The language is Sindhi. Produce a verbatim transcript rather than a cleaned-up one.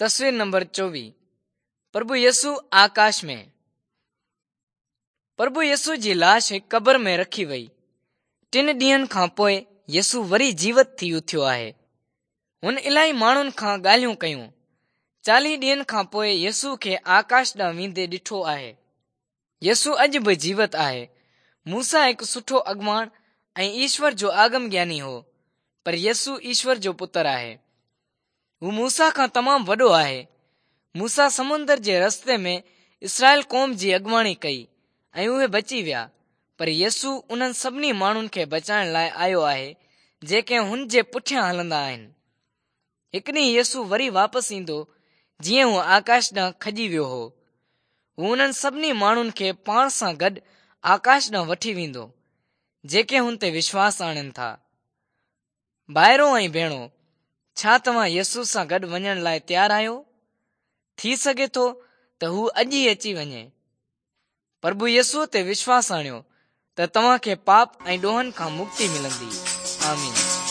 تصوير نمبر چوويهه پرڀو يسوع آڪاش ۾. پرڀو يسوع جي لاش هڪ قبر ۾ رکي وئي. ٽن ڏينهن کان پوءِ يسوع وري جيوت ٿي اٿيو آهي. هن الاهي ماڻهن کان ڳالهيون ڪيون. چاليهه ڏينهن کان پوءِ يسوع کي آڪاش ڏانهن ويندي ڏٺو آهي. يسوع اڄ به جيوت آهي. موسيٰ هڪ سٺو اڳواڻ ۽ ايشور جو آگم گياني هو، پر يسوع ايشور جو پتر آهي. هو موسيٰ کان تمام وڏو آهي. موسيٰ سمندر جي رستي ۾ اسرائيل قوم جي اڳواڻي ڪئي ۽ اهي بچي ويا، پر يسوع انهن سڀني ماڻهن کي بچائڻ لاءِ آيو آهي جيڪي هن جي پٺيان هلندا آهن. هڪ ڏينهن يسوع وري واپس ايندو جيئن هو آڪاش ڏانهن کڄي ويو هو. هو انهن سڀني ماڻهن کي پاڻ سان گڏ آڪاش ڏانهن وٺي ويندو جيڪي هن تي وشواس آڻين ٿا. ڀائرو ۽ ڀيڻو، ڇا توهان يسوع سان گڏ وڃڻ لاءِ تيار آهيو؟ ٿي سگهي ٿو ته هو اڄ ئي اچي وڃي. پرڀو يسوع تي وشواس آڻيو ته توهان کي پاپ ۽ ڏوهن کان مڪتي ملندي. آمين.